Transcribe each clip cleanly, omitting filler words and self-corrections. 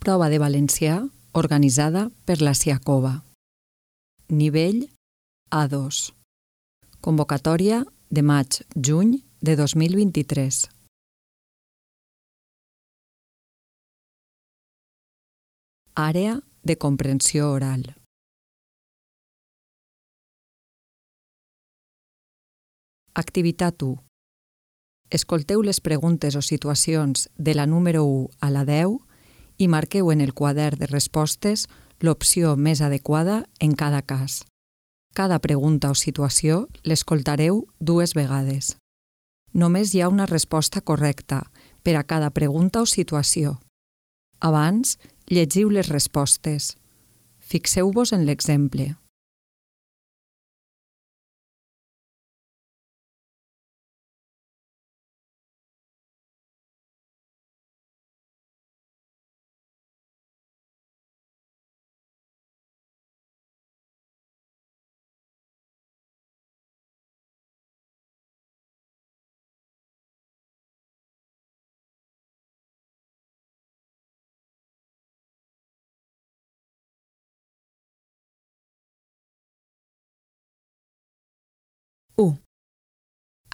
Prova de valencià organitzada per la Siacova. Nivell A2. Convocatòria de maig-juny de 2023. Àrea de comprensió oral. Activitat 1. Escolteu les preguntes o situacions de la número 1 a la 10 i marqueu en el quadern de respostes l'opció més adequada en cada cas. Cada pregunta o situació l'escoltareu 2 vegades. Només hi ha una resposta correcta per a cada pregunta o situació. Abans, llegiu les respostes. Fixeu-vos en l'exemple.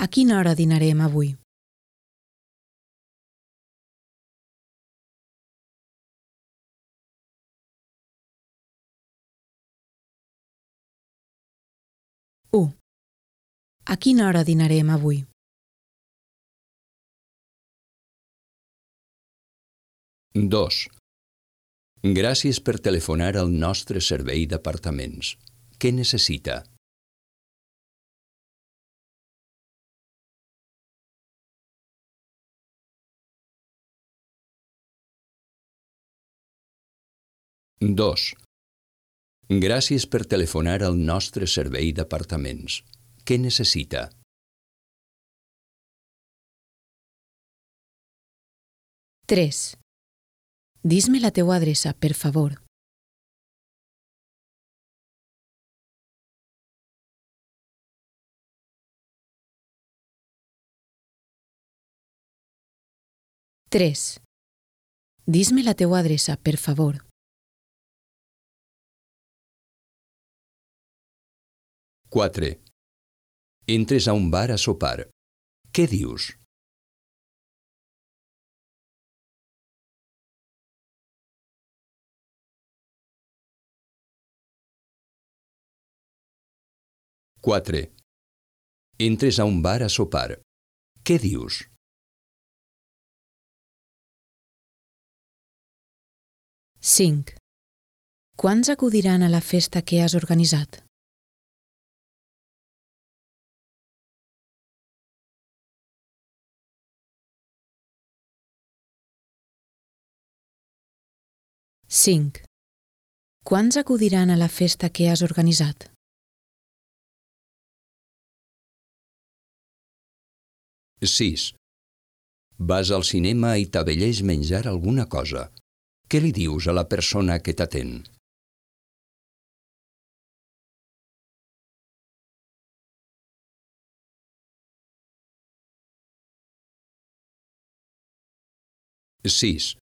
A quina hora dinarem avui? A quina hora dinarem avui? 2. Gràcies per telefonar al nostre servei d'apartaments. Què necessita? 2. Gràcies per telefonar al nostre servei d'apartaments. Què necessita? 3. Dis-me la teua adreça, per favor. 3. Dis-me la teua adreça, per favor. 4. Entres a un bar a sopar. Què dius? 4. Entres a un bar a sopar. Què dius? 5. Quants acudiran a la festa que has organitzat? 5. Quants acudiran a la festa que has organitzat? 6. Vas al cinema i t'avelleix menjar alguna cosa. Què li dius a la persona que t'atén? 6.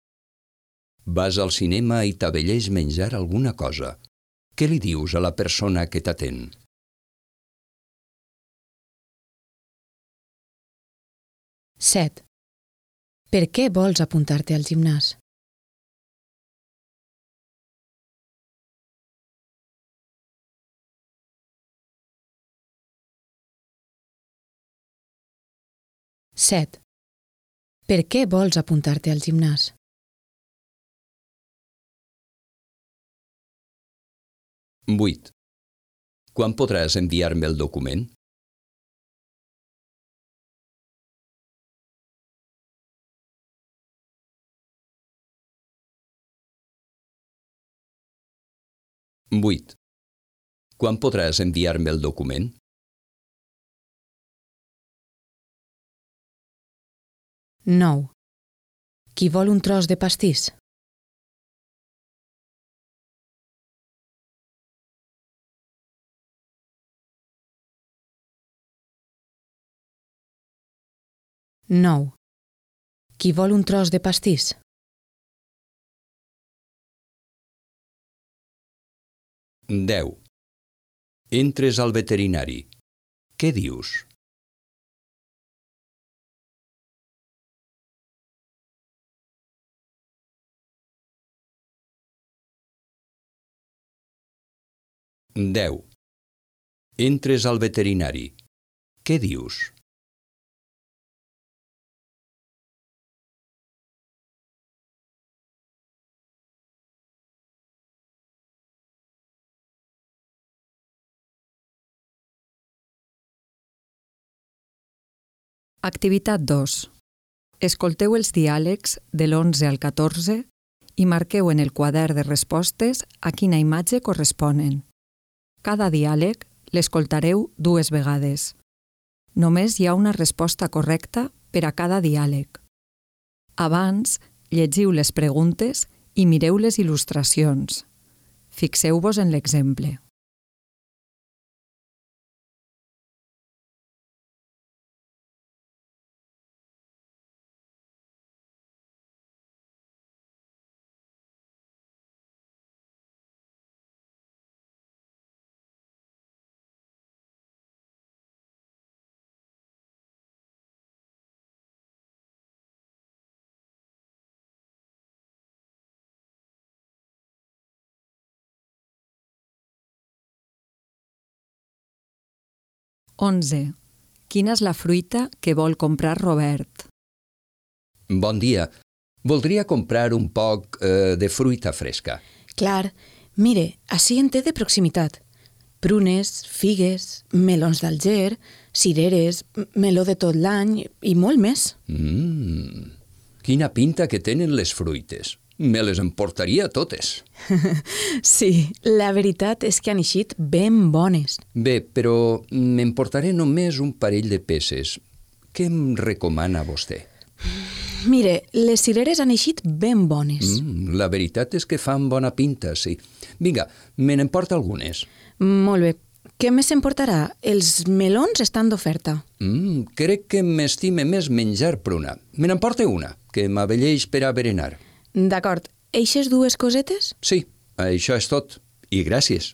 Vas al cinema i t'avelleix menjar alguna cosa. Què li dius a la persona que t'atén? 7. Per què vols apuntar-te al gimnàs? 7. Per què vols apuntar-te al gimnàs? 8. Quan podràs enviar-me el document? 8. Quan podràs enviar-me el document? 9. Qui vol un tros de pastís? 9. Qui vol un tros de pastís? 10. Entres al veterinari. Què dius? 10. Entres al veterinari. Què dius? 2. Escolteu els diàlegs de l'11 al 14 i marqueu en el quadern de respostes a quina imatge corresponen. Cada diàleg l'escoltareu 2 vegades. Només hi ha una resposta correcta per a cada diàleg. Abans, llegiu les preguntes i mireu les il·lustracions. Fixeu-vos en l'exemple. Onze. Quina és la fruita que vol comprar Robert? Bon dia. Voldria comprar un poc de fruita fresca. Clar, mire, ací en té de proximitat. Prunes, figues, melons d'Alger, cireres, meló de tot l'any i molt més. Quina pinta que tenen les fruites. Me les emportaria totes. Sí, la veritat és que han eixit ben bones. Bé, però m'emportaré només un parell de peces. Què em recomana vostè? Mire, les cireres han eixit ben bones. La veritat és que fan bona pinta, sí. Vinga, me n'emporta algunes. Molt bé. Què més s'emportarà? Els melons estan d'oferta. Crec que m'estime més menjar pruna. Me n'emporta una, que m'abelleix per a berenar. D'acord. Eixes 2 cosetes? Sí, això és tot. I gràcies.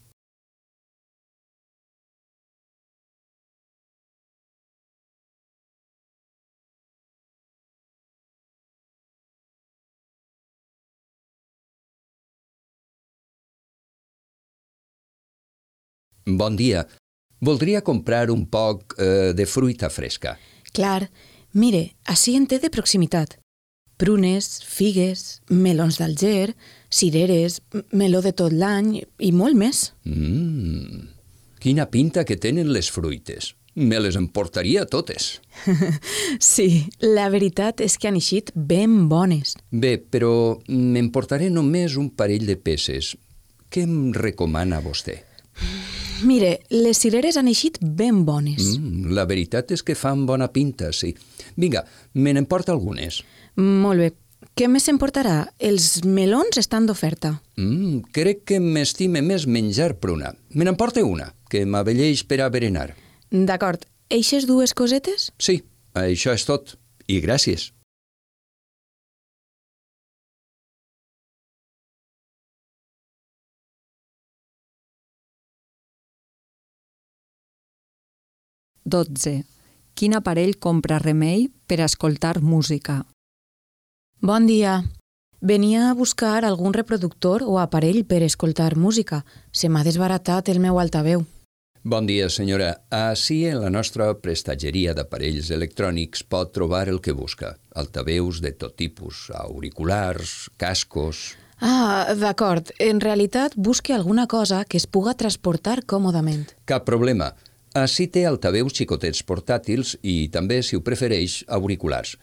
Bon dia. Voldria comprar un poc de fruita fresca. Clar. Mire, ací en té de proximitat. Prunes, figues, melons d'Alger, cireres, meló de tot l'any i molt més. Quina pinta que tenen les fruites. Me les emportaria totes. Sí, la veritat és que han eixit ben bones. Bé, però m'emportaré només un parell de peces. Què em recomana vostè? Mire, les cireres han eixit ben bones. La veritat és que fan bona pinta, sí. Vinga, me n'emporta algunes. Molt bé. Què més s'emportarà? Els melons estan d'oferta. Crec que m'estime més menjar pruna. Me n'emporta una, que m'abelleix per a berenar. D'acord. Eixes 2 cosetes? Sí, això és tot. I gràcies. Dotze. Quin aparell compra Remei per a escoltar música? Bon dia. Venia a buscar algun reproductor o aparell per escoltar música. Se m'ha desbaratat el meu altaveu. Bon dia, senyora. Ací en la nostra prestatgeria d'aparells electrònics pot trobar el que busca. Altaveus de tot tipus, auriculars, cascos... Ah, d'acord. En realitat busque alguna cosa que es puga transportar còmodament. Cap problema. Ací té altaveus xicotets portàtils i també, si ho prefereix, auriculars.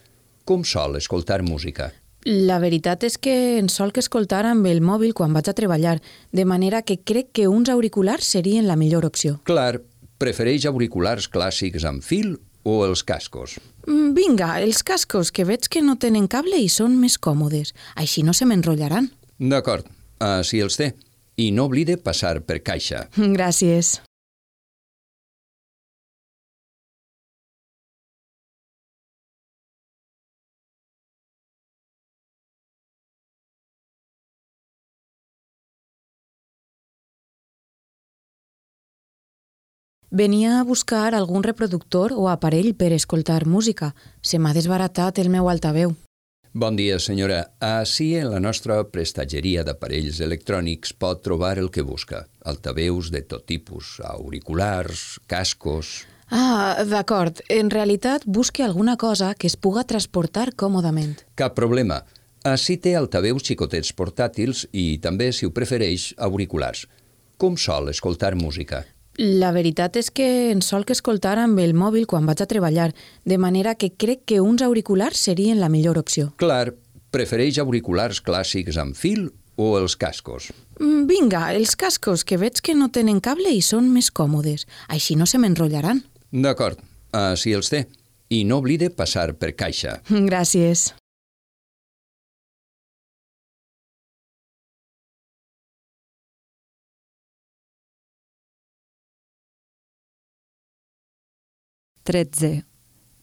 Com sol escoltar música? La veritat és que en solc escoltar amb el mòbil quan vaig a treballar, de manera que crec que uns auriculars serien la millor opció. Clar, prefereix auriculars clàssics amb fil o els cascos? Vinga, els cascos, que veig que no tenen cable i són més còmodes. Així no se m'enrotllaran. D'acord, ací els té. I no oblide passar per caixa. Gràcies. Venia a buscar algun reproductor o aparell per escoltar música. Se m'ha desbaratat el meu altaveu. Bon dia, senyora. Ací en la nostra prestatgeria d'aparells electrònics pot trobar el que busca. Altaveus de tot tipus, auriculars, cascos... Ah, d'acord. En realitat busque alguna cosa que es puga transportar còmodament. Cap problema. Ací té altaveus xicotets portàtils i també, si ho prefereix, auriculars. Com sol escoltar música? La veritat és que en solc escoltar amb el mòbil quan vaig a treballar, de manera que crec que uns auriculars serien la millor opció. Clar, prefereix auriculars clàssics amb fil o els cascos? Vinga, els cascos, que veig que no tenen cable i són més còmodes. Així no se m'enrotllaran. D'acord, així els té. I no oblide passar per caixa. Gràcies.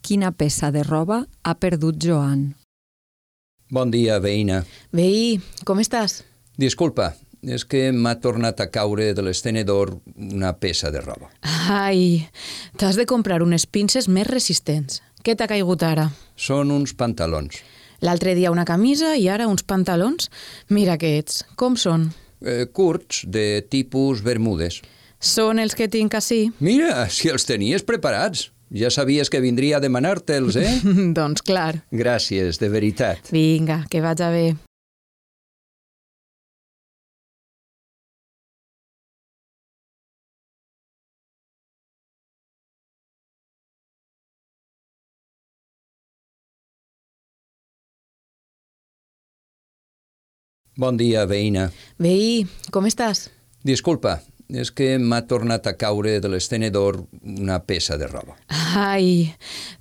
Quina peça de roba ha perdut Joan? Bon dia, veïna. Veí, com estàs? Disculpa, és que m'ha tornat a caure de l'estenedor una peça de roba. Ai, t'has de comprar unes pinces més resistents. Què t'ha caigut ara? Són uns pantalons. L'altre dia una camisa i ara uns pantalons? Mira que ets. Com són? Curts, de tipus bermudes. Són els que tinc ací? Mira, si els tenies preparats. Ja sabies que vindria a demanar-te'ls, eh? Doncs clar. Gràcies, de veritat. Vinga, que vaig a bé. Bon dia, veïna. Veí, com estàs? Disculpa, és que m'ha tornat a caure de l'estenedor una peça de roba. Ai,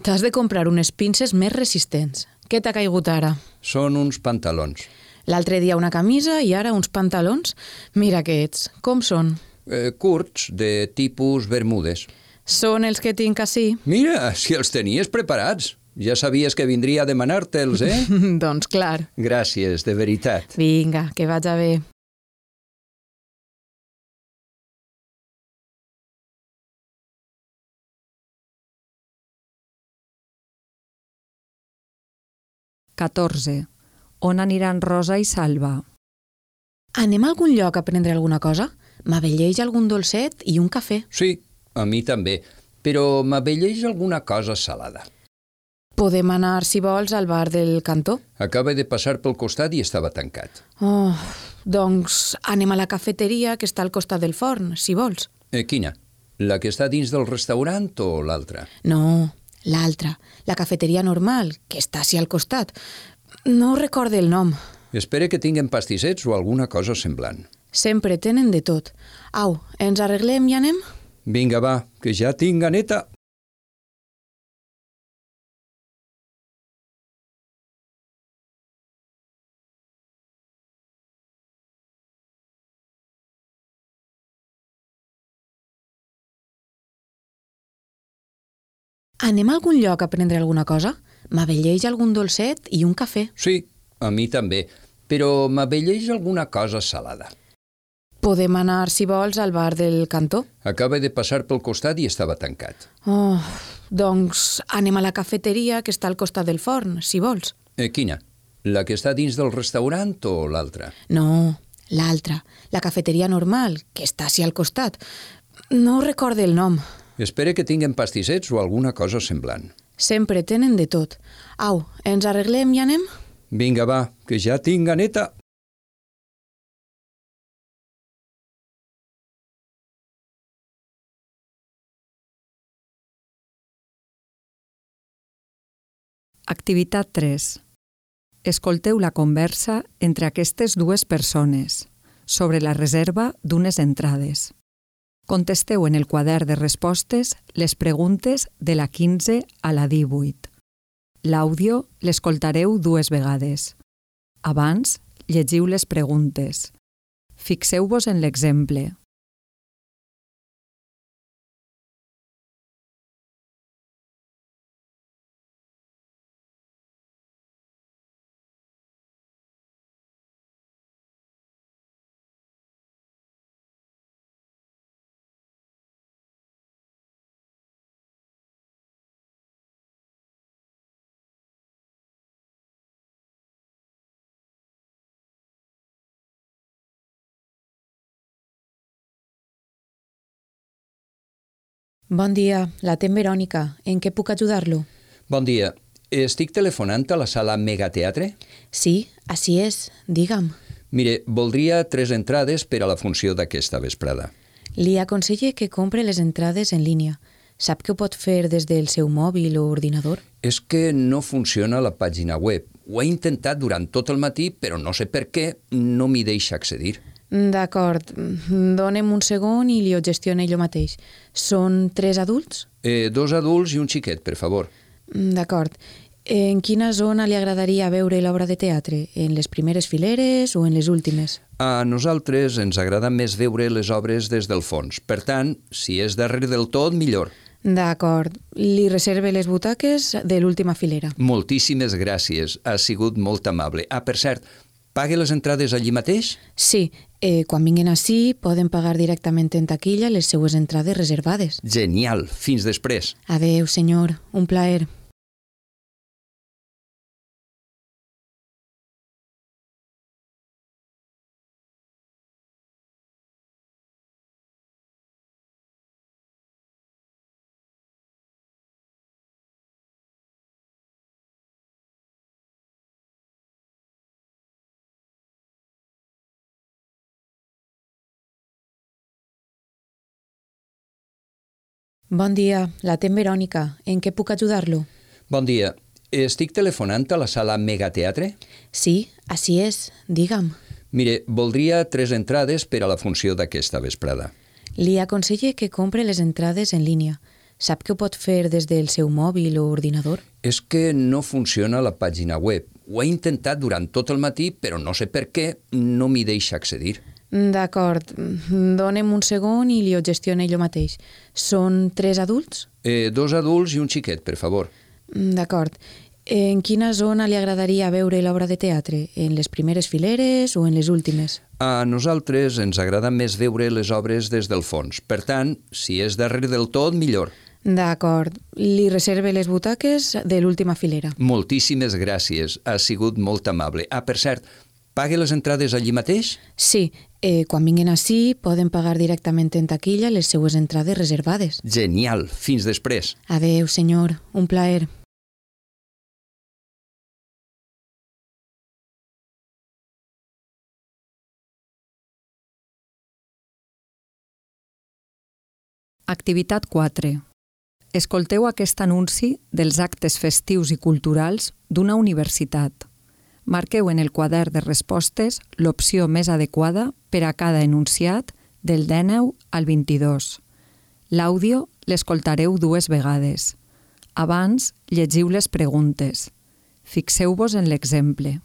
t'has de comprar unes pinces més resistents. Què t'ha caigut ara? Són uns pantalons. L'altre dia una camisa i ara uns pantalons? Mira que ets. Com són? Curts, de tipus bermudes. Són els que tinc ací? Mira, si els tenies preparats. Ja sabies que vindria a demanar-te'ls, eh? Doncs clar. Gràcies, de veritat. Vinga, que vaig a bé. On aniran Rosa i Salva? Anem a algun lloc a prendre alguna cosa? M'abelleix algun dolcet i un cafè. Sí, a mi també, però m'abelleix alguna cosa salada. Podem anar, si vols, al bar del cantó? Acaba de passar pel costat i estava tancat. Oh, doncs anem a la cafeteria que està al costat del forn, si vols. Quina? La que està dins del restaurant o l'altra? No, l'altra, la cafeteria normal, que està ací al costat. No recorde el nom. Espere que tinguen pastissets o alguna cosa semblant. Sempre tenen de tot. Au, ens arreglem i anem? Vinga, va, que ja tinc ganeta. Anem a algun lloc a prendre alguna cosa? M'abelleix algun dolcet i un cafè. Sí, a mi també, però m'abelleix alguna cosa salada. Podem anar, si vols, al bar del cantó? Acaba de passar pel costat i estava tancat. Oh, doncs anem a la cafeteria que està al costat del forn, si vols. Quina? La que està dins del restaurant o l'altra? No, l'altra, la cafeteria normal, que està ací al costat. No recorde el nom. Espere que tinguen pastissets o alguna cosa semblant. Sempre tenen de tot. Au, ens arreglem i anem? Vinga, va, que ja tinc ganeta. Activitat 3. Escolteu la conversa entre aquestes dues persones sobre la reserva d'unes entrades. Contesteu en el quadern de respostes les preguntes de la 15 a la 18. L'àudio l'escoltareu 2 vegades. Abans, llegiu les preguntes. Fixeu-vos en l'exemple. Bon dia, l'atén Verònica. En què puc ajudar-lo? Bon dia. Estic telefonant a la sala Megateatre? Sí, així és. Digue'm. Mire, voldria 3 entrades per a la funció d'aquesta vesprada. Li aconselle que compre les entrades en línia. Sap que ho pot fer des del seu mòbil o ordinador? És que no funciona la pàgina web. Ho he intentat durant tot el matí, però no sé per què no m'hi deixa accedir. D'acord. Dóna'm un segon i li ho gestione jo mateix. Són 3 adults? 2 adults i un xiquet, per favor. D'acord. En quina zona li agradaria veure l'obra de teatre? En les primeres fileres o en les últimes? A nosaltres ens agrada més veure les obres des del fons. Per tant, si és darrere del tot, millor. D'acord. Li reserve les butaques de l'última filera. Moltíssimes gràcies. Ha sigut molt amable. Per cert, pague les entrades allí mateix? Sí. Quan vinguin ací, poden pagar directament en taquilla les seues entrades reservades. Genial. Fins després. Adeu, senyor. Un plaer. Bon dia, l'atén Verònica. En què puc ajudar-lo? Bon dia. Estic telefonant a la sala Megateatre? Sí, així és. Digue'm. Mire, voldria 3 entrades per a la funció d'aquesta vesprada. Li aconselle que compre les entrades en línia. Sap que ho pot fer des del seu mòbil o ordinador? És que no funciona la pàgina web. Ho he intentat durant tot el matí, però no sé per què no m'hi deixa accedir. D'acord. Dóna'm un segon i li ho gestione jo mateix. Són 3 adults? 2 adults i un xiquet, per favor. D'acord. En quina zona li agradaria veure l'obra de teatre? En les primeres fileres o en les últimes? A nosaltres ens agrada més veure les obres des del fons. Per tant, si és darrere del tot, millor. D'acord. Li reserve les butaques de l'última filera. Moltíssimes gràcies. Ha sigut molt amable. Per cert, pague les entrades allí mateix? Sí. Quan vinguin ací, poden pagar directament en taquilla les seues entrades reservades. Genial. Fins després. Adeu, senyor. Un plaer. Activitat 4. Escolteu aquest anunci dels actes festius i culturals d'una universitat. Marqueu en el quadern de respostes l'opció més adequada per a cada enunciat del 19 al 22. L'àudio l'escoltareu 2 vegades. Abans, llegiu les preguntes. Fixeu-vos en l'exemple.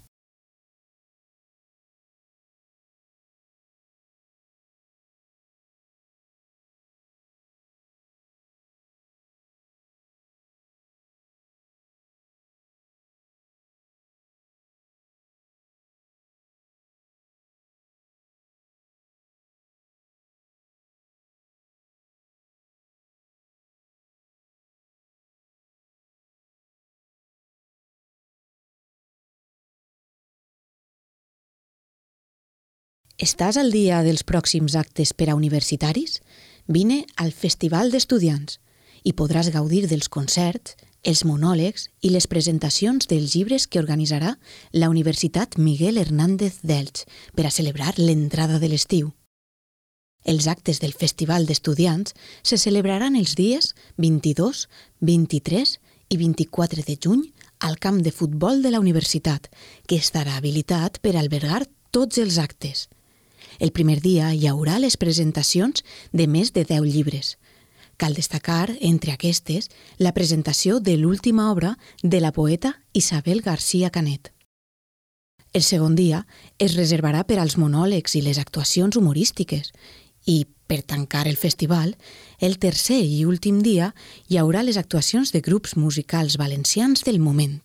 Estàs al dia dels pròxims actes per a universitaris? Vine al Festival d'Estudiants i podràs gaudir dels concerts, els monòlegs i les presentacions dels llibres que organitzarà la Universitat Miguel Hernández d'Elx per a celebrar l'entrada de l'estiu. Els actes del Festival d'Estudiants se celebraran els dies 22, 23 i 24 de juny al camp de futbol de la universitat, que estarà habilitat per albergar tots els actes. El primer dia hi haurà les presentacions de més de 10 llibres. Cal destacar, entre aquestes, la presentació de l'última obra de la poeta Isabel García Canet. El segon dia es reservarà per als monòlegs i les actuacions humorístiques i, per tancar el festival, el tercer i últim dia hi haurà les actuacions de grups musicals valencians del moment.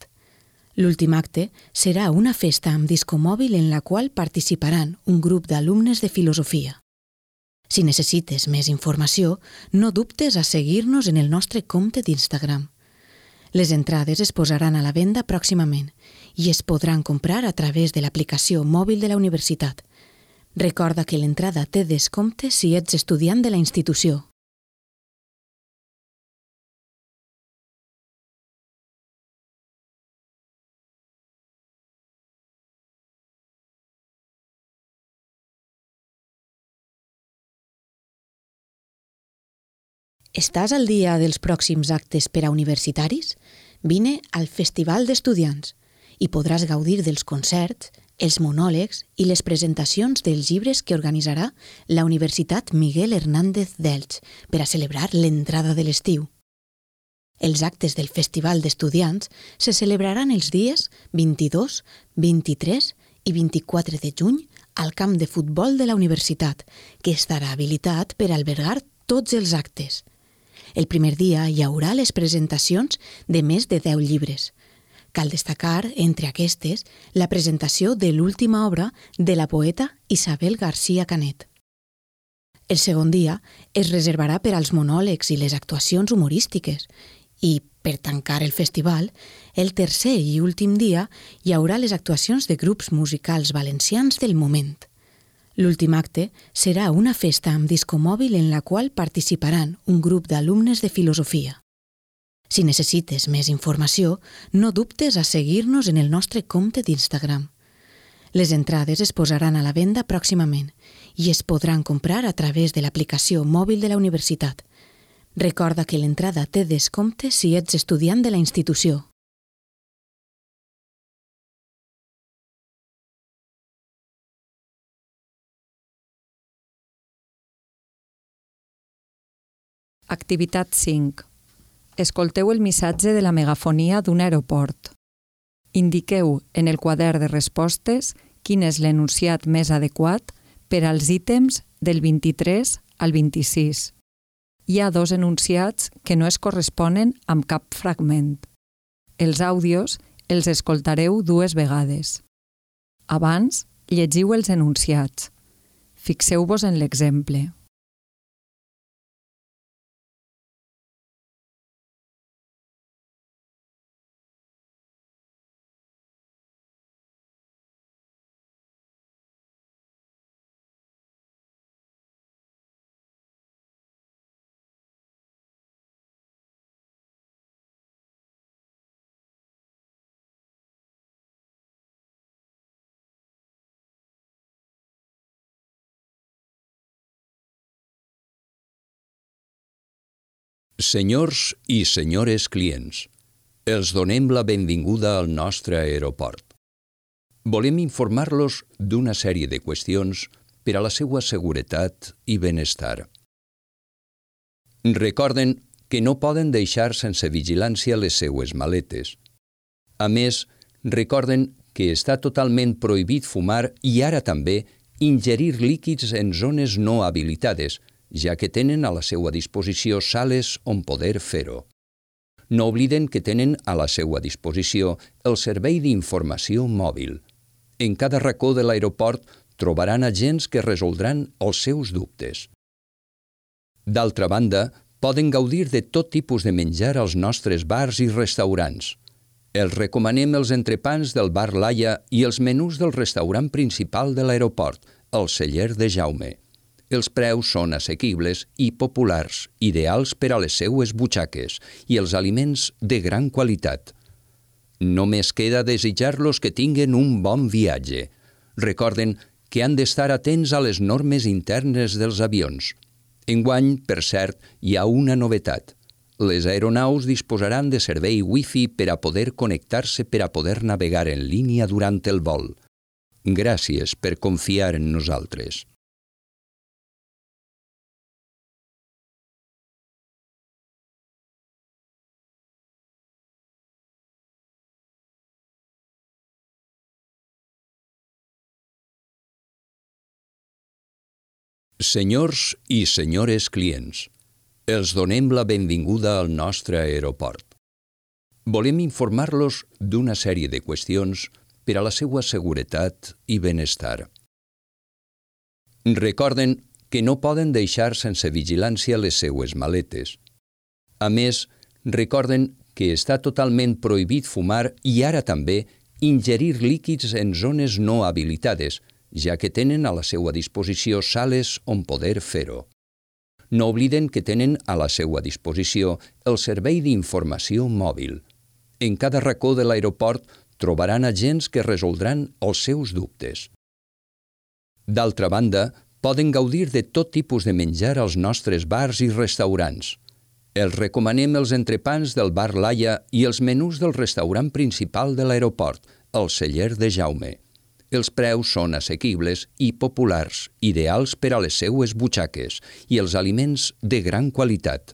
L'últim acte serà una festa amb discomòbil en la qual participaran un grup d'alumnes de filosofia. Si necessites més informació, no dubtes a seguir-nos en el nostre compte d'Instagram. Les entrades es posaran a la venda pròximament i es podran comprar a través de l'aplicació mòbil de la universitat. Recorda que l'entrada té descompte si ets estudiant de la institució. Estàs al dia dels pròxims actes per a universitaris? Vine al Festival d'Estudiants i podràs gaudir dels concerts, els monòlegs i les presentacions dels llibres que organitzarà la Universitat Miguel Hernández d'Elx per a celebrar l'entrada de l'estiu. Els actes del Festival d'Estudiants se celebraran els dies 22, 23 i 24 de juny al camp de futbol de la universitat, que estarà habilitat per albergar tots els actes. El primer dia hi haurà les presentacions de més de 10 llibres. Cal destacar, entre aquestes, la presentació de l'última obra de la poeta Isabel García Canet. El segon dia es reservarà per als monòlegs i les actuacions humorístiques i, per tancar el festival, el tercer i últim dia hi haurà les actuacions de grups musicals valencians del moment. L'últim acte serà una festa amb disco mòbil en la qual participaran un grup d'alumnes de filosofia. Si necessites més informació, no dubtes a seguir-nos en el nostre compte d'Instagram. Les entrades es posaran a la venda pròximament i es podran comprar a través de l'aplicació mòbil de la universitat. Recorda que l'entrada té descompte si ets estudiant de la institució. Activitat 5. Escolteu el missatge de la megafonia d'un aeroport. Indiqueu en el quadern de respostes quin és l'enunciat més adequat per als ítems del 23 al 26. Hi ha 2 enunciats que no es corresponen amb cap fragment. Els àudios els escoltareu 2 vegades. Abans, llegiu els enunciats. Fixeu-vos en l'exemple. Senyors i senyores clients, els donem la benvinguda al nostre aeroport. Volem informar-los d'una sèrie de qüestions per a la seva seguretat i benestar. Recorden que no poden deixar sense vigilància les seues maletes. A més, recorden que està totalment prohibit fumar i ara també ingerir líquids en zones no habilitades, ja que tenen a la seva disposició sales on poder fer-ho. No obliden que tenen a la seva disposició el servei d'informació mòbil. En cada racó de l'aeroport trobaran agents que resoldran els seus dubtes. D'altra banda, poden gaudir de tot tipus de menjar als nostres bars i restaurants. Els recomanem els entrepans del bar Laia i els menús del restaurant principal de l'aeroport, el Celler de Jaume. Els preus són assequibles i populars, ideals per a les seues butxaques i els aliments de gran qualitat. Només queda desitjar-los que tinguen un bon viatge. Recorden que han d'estar atents a les normes internes dels avions. Enguany, per cert, hi ha una novetat. Les aeronaus disposaran de servei Wi-Fi per a poder connectar-se per a poder navegar en línia durant el vol. Gràcies per confiar en nosaltres. Senyors i senyores clients, els donem la benvinguda al nostre aeroport. Volem informar-los d'una sèrie de qüestions per a la seva seguretat i benestar. Recorden que no poden deixar sense vigilància les seues maletes. A més, recorden que està totalment prohibit fumar i ara també ingerir líquids en zones no habilitades, ja que tenen a la seva disposició sales on poder fer-ho. No obliden que tenen a la seva disposició el servei d'informació mòbil. En cada racó de l'aeroport trobaran agents que resoldran els seus dubtes. D'altra banda, poden gaudir de tot tipus de menjar als nostres bars i restaurants. Els recomanem els entrepans del bar Laia i els menús del restaurant principal de l'aeroport, el Celler de Jaume. Els preus són assequibles i populars, ideals per a les seues butxaques i els aliments de gran qualitat.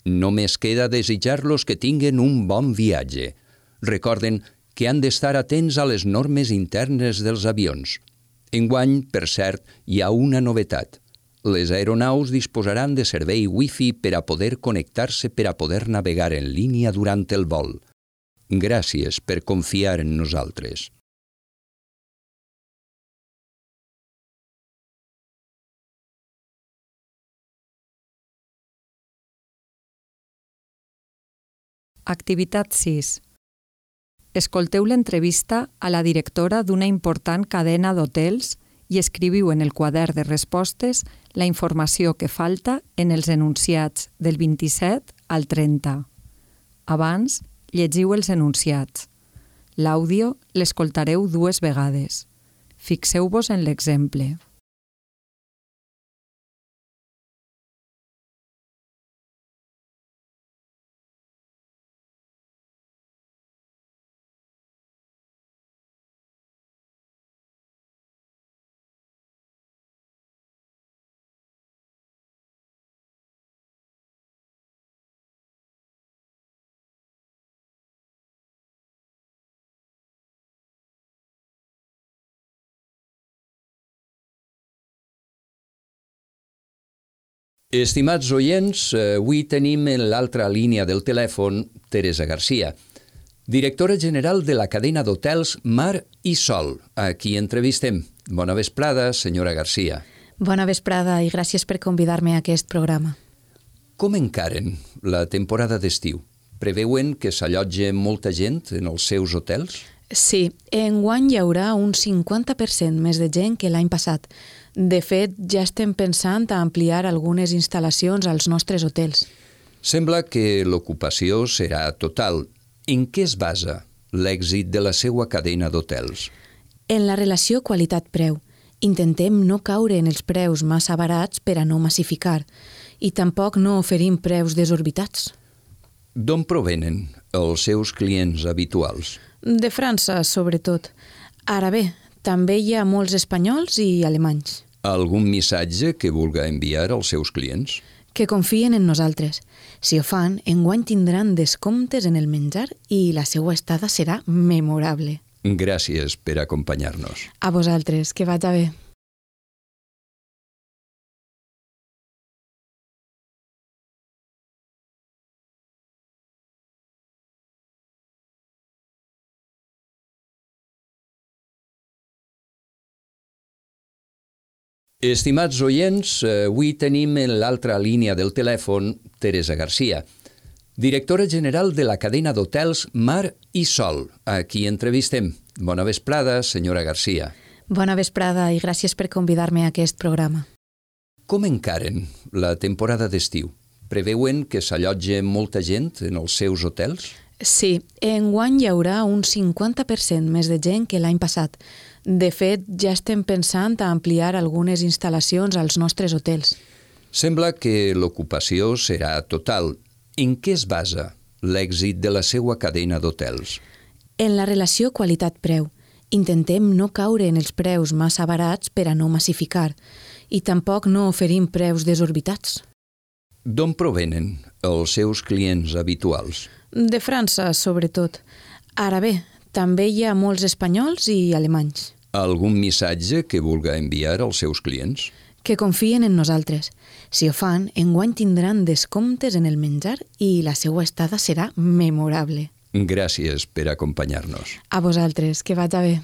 Només queda desitjar-los que tinguen un bon viatge. Recorden que han d'estar atents a les normes internes dels avions. Enguany, per cert, hi ha una novetat. Les aeronaus disposaran de servei Wi-Fi per a poder connectar-se per a poder navegar en línia durant el vol. Gràcies per confiar en nosaltres. Activitat 6. Escolteu l'entrevista a la directora d'una important cadena d'hotels i escriviu en el quadern de respostes la informació que falta en els enunciats del 27 al 30. Abans, llegiu els enunciats. L'àudio l'escoltareu 2 vegades. Fixeu-vos en l'exemple. Estimats oients, avui tenim en l'altra línia del telèfon Teresa Garcia, directora general de la cadena d'hotels Mar i Sol, a qui entrevistem. Bona vesprada, senyora Garcia. Bona vesprada i gràcies per convidar-me a aquest programa. Com encaren la temporada d'estiu? Preveuen que s'allotja molta gent en els seus hotels? Sí, enguany hi haurà un 50% més de gent que l'any passat. De fet, ja estem pensant a ampliar algunes instal·lacions als nostres hotels. Sembla que l'ocupació serà total. En què es basa l'èxit de la seva cadena d'hotels? En la relació qualitat-preu. Intentem no caure en els preus massa barats per a no massificar i tampoc no oferim preus desorbitats. D'on provenen els seus clients habituals? De França, sobretot. Ara bé, també hi ha molts espanyols i alemanys. Algun missatge que vulga enviar als seus clients? Que confien en nosaltres. Si ho fan, enguany tindran descomptes en el menjar i la seva estada serà memorable. Gràcies per acompanyar-nos. A vosaltres, que vaig bé. Estimats oients, avui tenim en l'altra línia del telèfon Teresa Garcia, directora general de la cadena d'hotels Mar i Sol, a qui entrevistem. Bona vesprada, senyora Garcia. Bona vesprada i gràcies per convidar-me a aquest programa. Com encaren la temporada d'estiu? Preveuen que s'allotja molta gent en els seus hotels? Sí, enguany hi haurà un 50% més de gent que l'any passat. De fet, ja estem pensant a ampliar algunes instal·lacions als nostres hotels. Sembla que l'ocupació serà total. En què es basa l'èxit de la seva cadena d'hotels? En la relació qualitat-preu. Intentem no caure en els preus massa barats per a no massificar i tampoc no oferim preus desorbitats. D'on provenen els seus clients habituals? De França, sobretot. Ara bé, també hi ha molts espanyols i alemanys. Algun missatge que vulga enviar als seus clients? Que confien en nosaltres. Si ho fan, enguany tindran descomptes en el menjar i la seva estada serà memorable. Gràcies per acompanyar-nos. A vosaltres, que vaig bé.